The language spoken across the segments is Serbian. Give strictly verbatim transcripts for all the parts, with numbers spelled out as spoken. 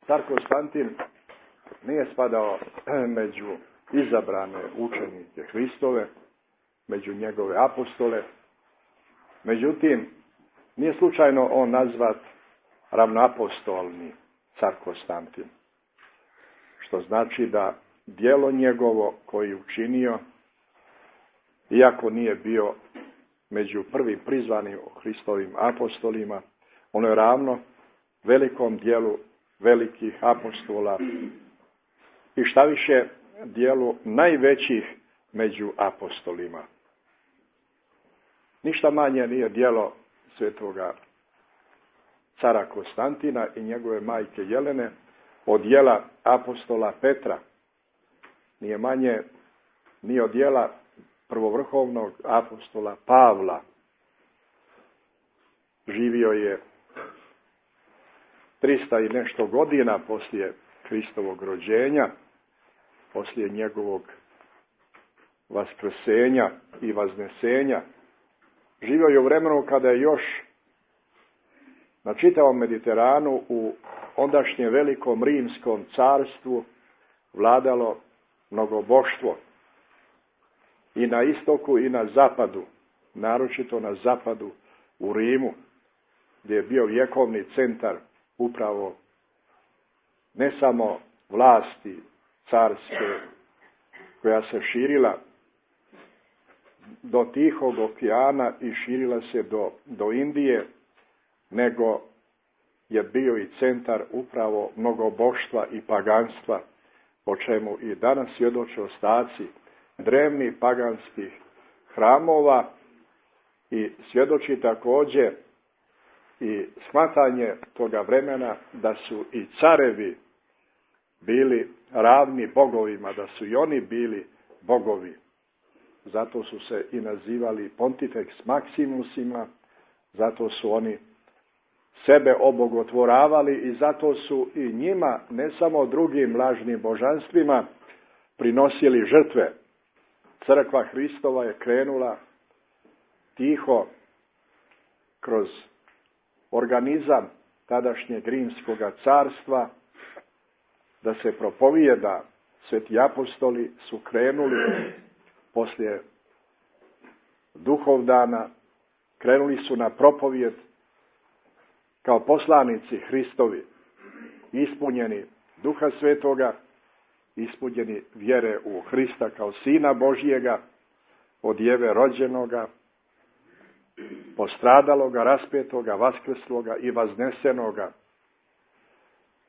car Konstantin nije spadao među izabrane učenike Hristove, među njegove apostole. Međutim, nije slučajno on nazvat ravnoapostolni car Konstantin. Što znači da djelo njegovo koji je učinio, iako nije bio među prvim prizvanim Hristovim apostolima, ono je ravno velikom dijelu velikih apostola i šta više dijelu najvećih među apostolima. Ništa manje nije djelo svetoga cara Konstantina i njegove majke Jelene od djela apostola Petra. Nije manje ni od djela prvovrhovnog apostola Pavla. Živio je trista i nešto godina poslije Hristovog rođenja, poslije njegovog vaskrsenja i vaznesenja. Živio je u vremenu kada je još na čitavom Mediteranu u ondašnjem velikom rimskom carstvu vladalo mnogoboštvo. I na istoku i na zapadu, naročito na zapadu u Rimu, gdje je bio vjekovni centar upravo ne samo vlasti carske koja se širila do Tihog okeana i širila se do, do Indije, nego je bio i centar upravo mnogoboštva i paganstva, o čemu i danas svjedoče ostaci drevnih paganskih hramova i svjedoči također i shvatanje toga vremena da su i carevi bili ravni bogovima, da su i oni bili bogovi. Zato su se i nazivali Pontifex Maximusima, zato su oni sebe obogotvoravali i zato su i njima, ne samo drugim lažnim božanstvima, prinosili žrtve. Crkva Hristova je krenula tiho kroz organizam tadašnjeg rimskog carstva da se propovijeda. Sveti apostoli su krenuli poslije Duhovdana, krenuli su na propovijed kao poslanici Hristovi, ispunjeni Duha Svetoga, ispunjeni vjere u Hrista kao Sina Božjega, od Jeve rođenoga, postradaloga, raspetoga, vaskrsloga i vaznesenoga.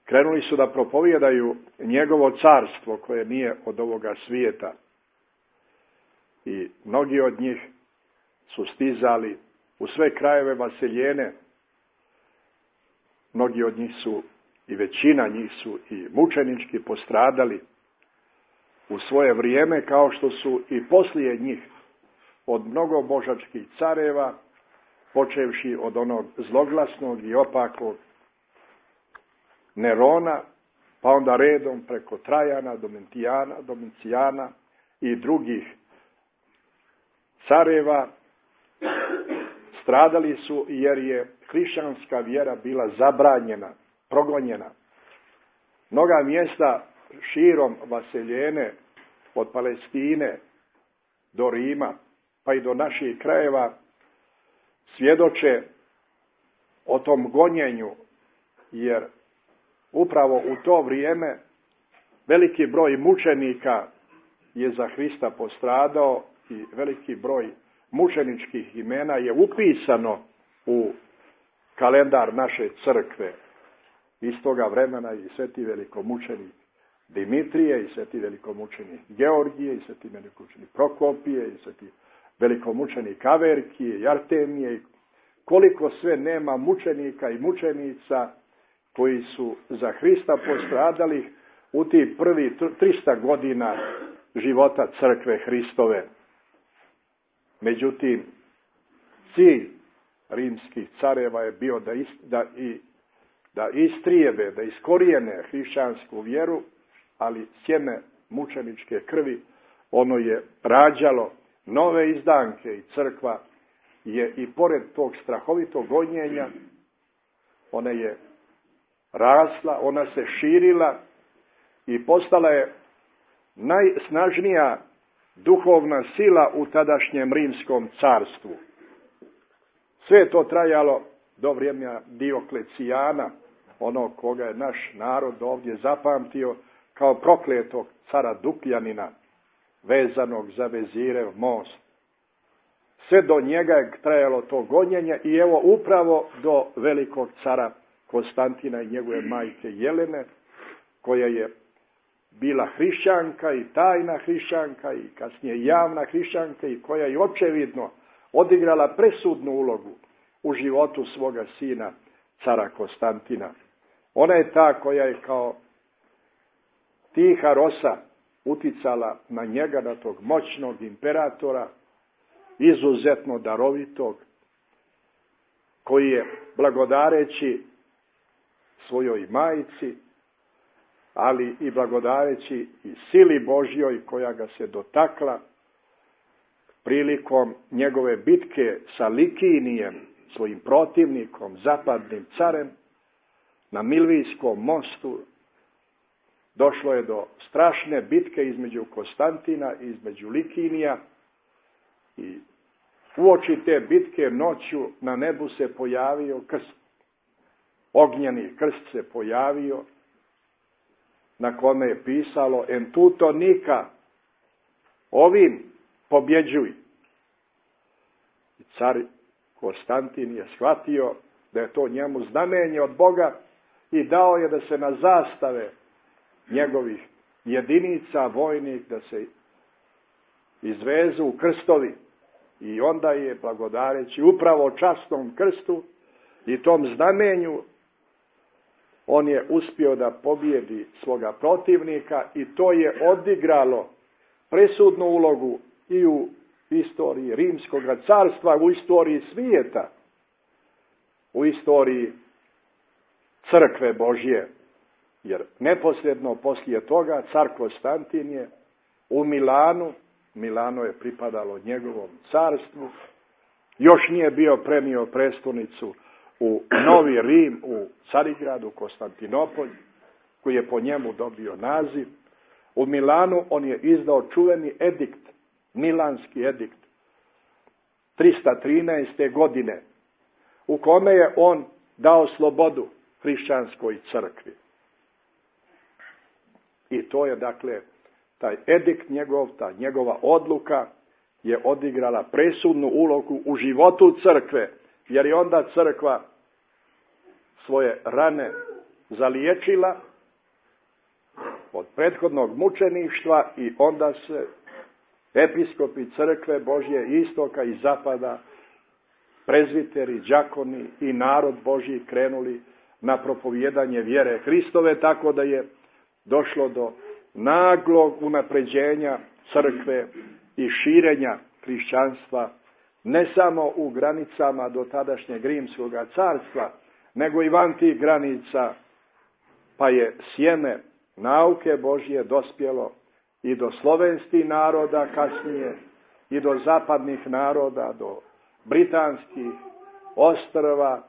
Krenuli su da propovijedaju njegovo carstvo koje nije od ovoga svijeta. I mnogi od njih su stizali u sve krajeve vaseljene. Mnogi od njih su, i većina njih su i mučenički postradali u svoje vrijeme, kao što su i poslije njih od mnogo božačkih careva, počevši od onog zloglasnog i opakog Nerona, pa onda redom preko Trajana, Domitijana, Domicijana i drugih careva, stradali su jer je hrišćanska vjera bila zabranjena, progonjena. Mnoga mjesta širom vaseljene, od Palestine do Rima, pa i do naših krajeva, svjedoče o tom gonjenju, jer upravo u to vrijeme veliki broj mučenika je za Hrista postradao i veliki broj mučeničkih imena je upisano u kalendar naše crkve. Iz toga vremena i sveti velikomučenik Dimitrije, i sveti velikomučenik Georgije, i sveti velikomučenik Prokopije, i sveti velikomučenik Averkije i Artemije. Koliko sve nema mučenika i mučenica koji su za Hrista postradali u tih prvi trista godina života crkve Hristove. Međutim, cilj rimskih careva je bio da, is, da, i, da istrijebe, da iskorijene hrišćansku vjeru, ali sjeme mučeničke krvi, ono je rađalo nove izdanke i crkva je i pored tog strahovitog gonjenja, ona je rasla, ona se širila i postala je najsnažnija duhovna sila u tadašnjem rimskom carstvu. Sve je to trajalo do vremena Dioklecijana, onog koga je naš narod ovdje zapamtio kao prokletog cara Dukljanina, vezanog za Vezirev most. Sve do njega je trajalo to gonjenje i evo upravo do velikog cara Konstantina i njegove majke Jelene, koja je bila hrišćanka i tajna hrišćanka i kasnije javna hrišćanka i koja je očevidno odigrala presudnu ulogu u životu svoga sina, cara Konstantina. Ona je ta koja je kao tiha rosa uticala na njega, na tog moćnog imperatora, izuzetno darovitog, koji je blagodareći svojoj majci, ali i blagodareći i sili Božjoj koja ga se dotakla prilikom njegove bitke sa Likinijem, svojim protivnikom, zapadnim carem, na Milvijskom mostu. Došlo je do strašne bitke između Konstantina i između Likinija i uoči te bitke noću na nebu se pojavio krst. Ognjeni krst se pojavio na kome je pisalo en tuto nika, ovim pobjeđuj. I car Konstantin je shvatio da je to njemu znamenje od Boga i dao je da se na zastave njegovih jedinica vojnih da se izvezu krstovi. I onda je, blagodareći upravo časnom krstu i tom znamenju, on je uspio da pobjedi svoga protivnika i to je odigralo presudnu ulogu i u istoriji Rimskog carstva, u istoriji svijeta, u istoriji crkve Božje. Jer neposredno poslije toga car Konstantin je u Milanu, Milano je pripadalo njegovom carstvu, još nije bio prenio prestolnicu u Novi Rim, u Carigradu, Konstantinopolj, koji je po njemu dobio naziv. U Milanu on je izdao čuveni edikt, Milanski edikt, trista trinaeste. godine, u kome je on dao slobodu hrišćanskoj crkvi. I to je, dakle, taj edikt njegov, ta njegova odluka je odigrala presudnu ulogu u životu crkve, jer je onda crkva svoje rane zaliječila od prethodnog mučeništva i onda se episkopi crkve Božje istoka i zapada, prezviteri, đakoni i narod Božji krenuli na propovijedanje vjere Hristove, tako da je došlo do naglog unapređenja crkve i širenja hrišćanstva ne samo u granicama do tadašnjeg Rimskog carstva, nego i van tih granica, pa je sjeme nauke Božje dospjelo i do slovenskih naroda kasnije, i do zapadnih naroda, do britanskih ostrva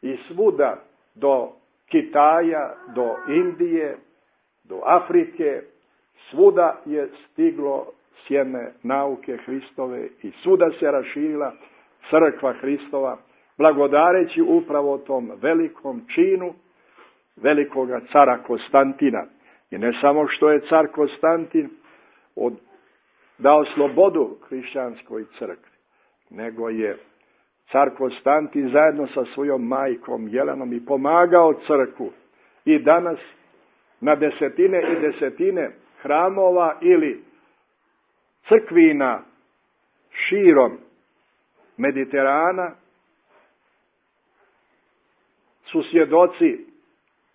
i svuda, do Kitaja, do Indije, do Afrike, svuda je stiglo sjeme nauke Hristove i svuda se raširila crkva Hristova, blagodareći upravo tom velikom činu velikoga cara Konstantina. I ne samo što je car Konstantin od, dao slobodu hrišćanskoj crkvi, nego je car Konstantin zajedno sa svojom majkom Jelenom i pomagao crkvu. I danas na desetine i desetine hramova ili crkvina širom Mediterana su svjedoci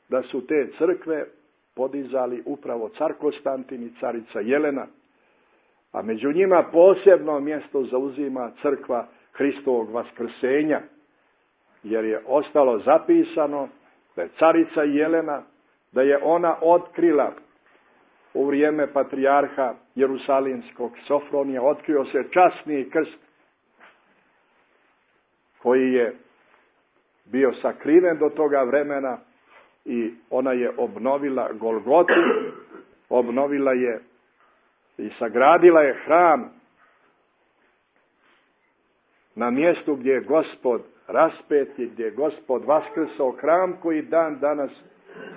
da su te crkve podizali upravo car Konstantin i carica Jelena, a među njima posebno mjesto zauzima crkva Hristovog vaskrsenja, jer je ostalo zapisano da je carica Jelena, da je ona otkrila u vrijeme patrijarha Jerusalimskog Sofronija, otkrio se časni krst koji je bio sakriven do toga vremena i ona je obnovila Golgotu, obnovila je i sagradila je hram na mjestu gdje je Gospod raspet i gdje je Gospod vaskrsao, hram koji dan danas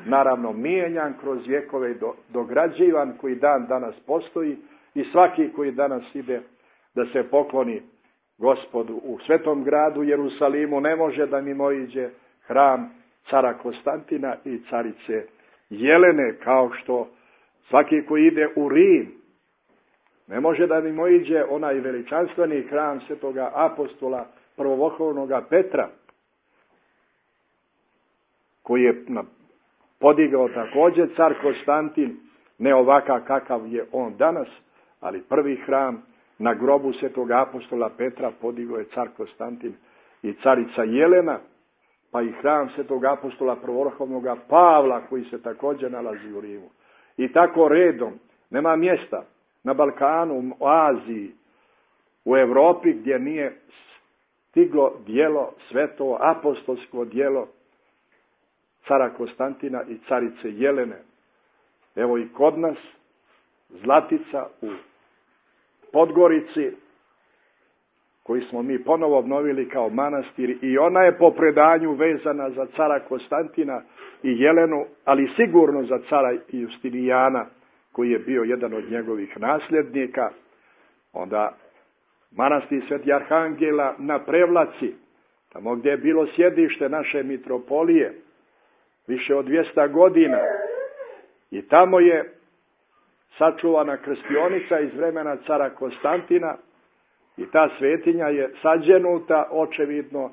naravno mijenjan kroz vjekove i dograđivan, koji dan danas postoji i svaki koji danas ide da se pokloni Gospodu u svetom gradu Jerusalimu ne može da mimoiđe hram cara Konstantina i carice Jelene, kao što svaki koji ide u Rim ne može da mimoiđe onaj veličanstveni hram svetoga apostola prvovrhovnoga Petra, koji je podigao također car Konstantin, ne ovakav kakav je on danas, ali prvi hram na grobu svetoga apostola Petra podigao je car Konstantin i carica Jelena, pa i hram svetog apostola prvovrhovnoga Pavla koji se također nalazi u Rimu. I tako redom, nema mjesta na Balkanu, u Aziji, u Europi gdje nije stiglo djelo, sveto apostolsko djelo cara Konstantina i carice Jelene. Evo i kod nas Zlatica u Podgorici, koji smo mi ponovo obnovili kao manastir, i ona je po predanju vezana za cara Konstantina i Jelenu, ali sigurno za cara Justinijana, koji je bio jedan od njegovih nasljednika. Onda manastir Sveti Arhangela na Prevlaci, tamo gdje je bilo sjedište naše mitropolije, više od dvjesto godina. I tamo je sačuvana krstionica iz vremena cara Konstantina i ta svetinja je sađenuta očevidno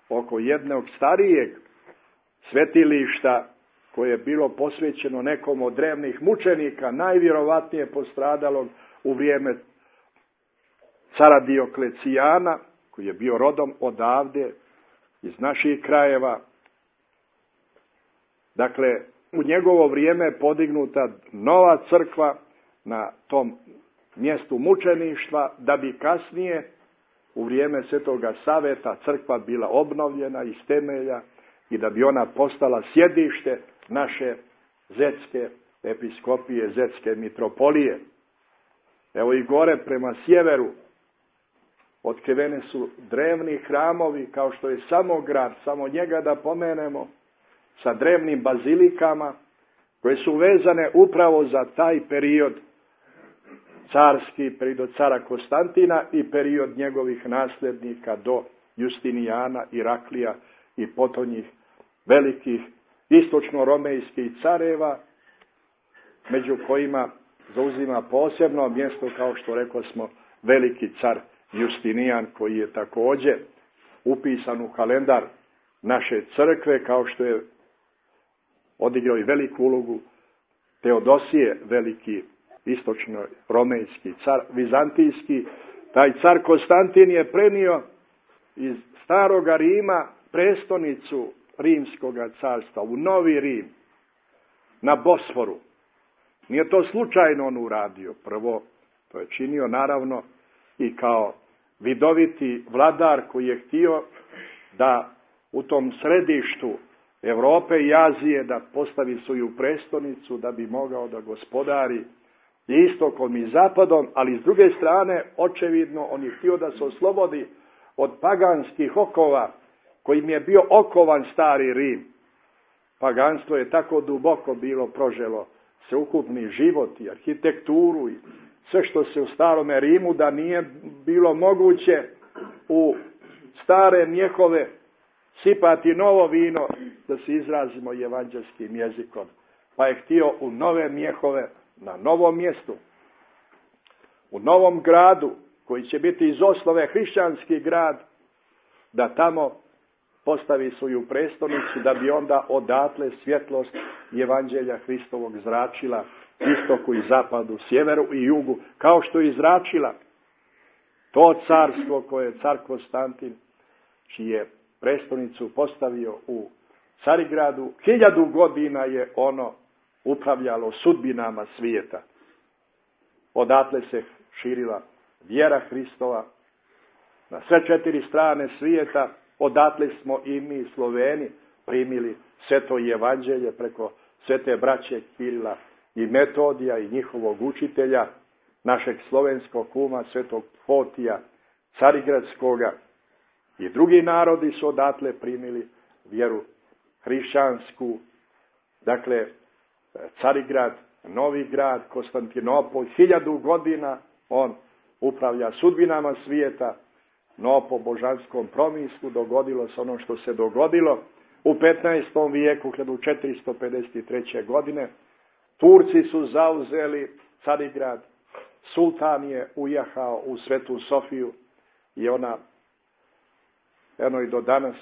oko jednog starijeg svetilišta koje je bilo posvećeno nekom od drevnih mučenika, najvjerovatnije postradalog u vrijeme cara Dioklecijana, koji je bio rodom odavde, iz naših krajeva. Dakle, u njegovo vrijeme je podignuta nova crkva na tom mjestu mučeništva, da bi kasnije u vrijeme Svetoga Saveta crkva bila obnovljena iz temelja i da bi ona postala sjedište naše zetske episkopije, zetske mitropolije. Evo i gore prema sjeveru otkrivene su drevni hramovi, kao što je Samograd, samo njega da pomenemo, sa drevnim bazilikama koje su vezane upravo za taj period carski, period cara Konstantina i period njegovih nasljednika do Justinijana, Iraklija i potonjih velikih istočno-romejskih careva, među kojima zauzima posebno mjesto, kao što rekao smo, veliki car Justinijan, koji je također upisan u kalendar naše crkve, kao što je odigrao i veliku ulogu Teodosije, veliki istočno-romejski car, vizantijski. Taj car Konstantin je prenio iz staroga Rima prestonicu Rimskoga carstva u Novi Rim, na Bosforu. Nije to slučajno on uradio. Prvo, to je činio naravno i kao vidoviti vladar koji je htio da u tom središtu Europe i Azije da postavi svoju prestonicu, da bi mogao da gospodari istokom i zapadom, ali s druge strane, očevidno, on je htio da se oslobodi od paganskih okova kojim je bio okovan stari Rim. Paganstvo je tako duboko bilo proželo sveukupni život i arhitekturu i sve što se u starome Rimu, da nije bilo moguće u stare mjehove sipati novo vino, da se izrazimo evanđelskim jezikom. Pa je htio u nove mjehove, na novom mjestu, u novom gradu, koji će biti iz osnove hrišćanski grad, da tamo postavi svoju prestonicu, da bi onda odatle svjetlost evanđelja Hristovog zračila istoku i zapadu, sjeveru i jugu, kao što je izračila to carstvo koje je car Konstantin, čiji je prestonicu postavio u Carigradu, hiljadu godina je ono upravljalo sudbinama svijeta. Odatle se širila vjera Hristova na sve četiri strane svijeta. Odatle smo i mi, Sloveni, primili Sveto evanđelje preko svete braće Kirila i Metodija i njihovog učitelja, našeg slovenskog kuma, svetog Fotija Carigradskoga, i drugi narodi su odatle primili vjeru hrišćansku. Dakle, Carigrad, Novi grad, Konstantinopol, hiljadu godina on upravlja sudbinama svijeta, no po božanskom promislu dogodilo se ono što se dogodilo. U petnaestom vijeku, hiljadu četiristo pedeset treće. godine, Turci su zauzeli Carigrad, sultan je ujahao u Svetu Sofiju i ona, eno i do danas,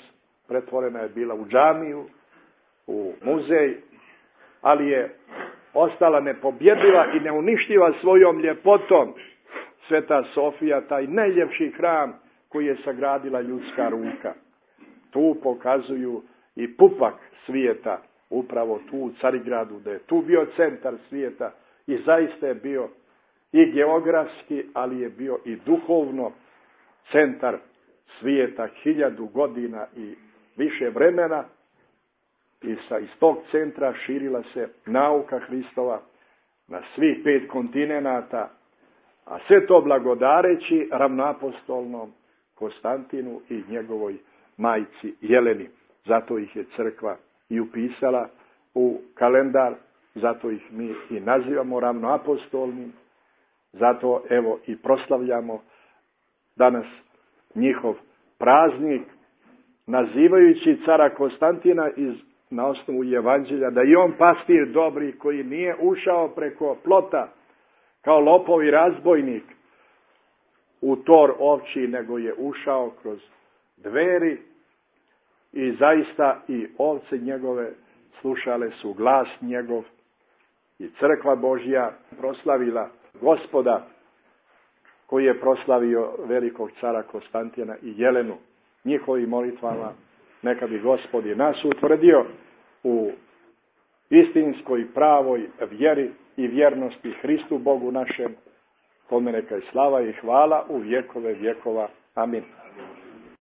pretvorena je bila u džamiju, u muzej, ali je ostala nepobjedljiva i neuništiva svojom ljepotom. Sveta Sofija, taj najljepši hram koji je sagradila ljudska ruka. Tu pokazuju i pupak svijeta, upravo tu u Carigradu, da je tu bio centar svijeta i zaista je bio i geografski, ali je bio i duhovno centar svijeta hiljadu godina i više vremena. I sa, iz tog centra širila se nauka Hristova na svih pet kontinenata, a sve to blagodareći ravnoapostolnom Konstantinu i njegovoj majci Jeleni. Zato ih je crkva i upisala u kalendar, zato ih mi i nazivamo ravnoapostolnim, zato evo i proslavljamo danas njihov praznik, nazivajući cara Konstantina iz, na osnovu evanđelja, da i on pastir dobri koji nije ušao preko plota kao lopov i razbojnik u tor ovči, nego je ušao kroz dveri i zaista i ovce njegove slušale su glas njegov i crkva Božja proslavila Gospoda koji je proslavio velikog cara Konstantina i Jelenu. Njihovim molitvama neka bi Gospod i nas utvrdio u istinskoj pravoj vjeri i vjernosti Hristu Bogu našem, kome neka je slava i hvala u vjekove vjekova. Amin.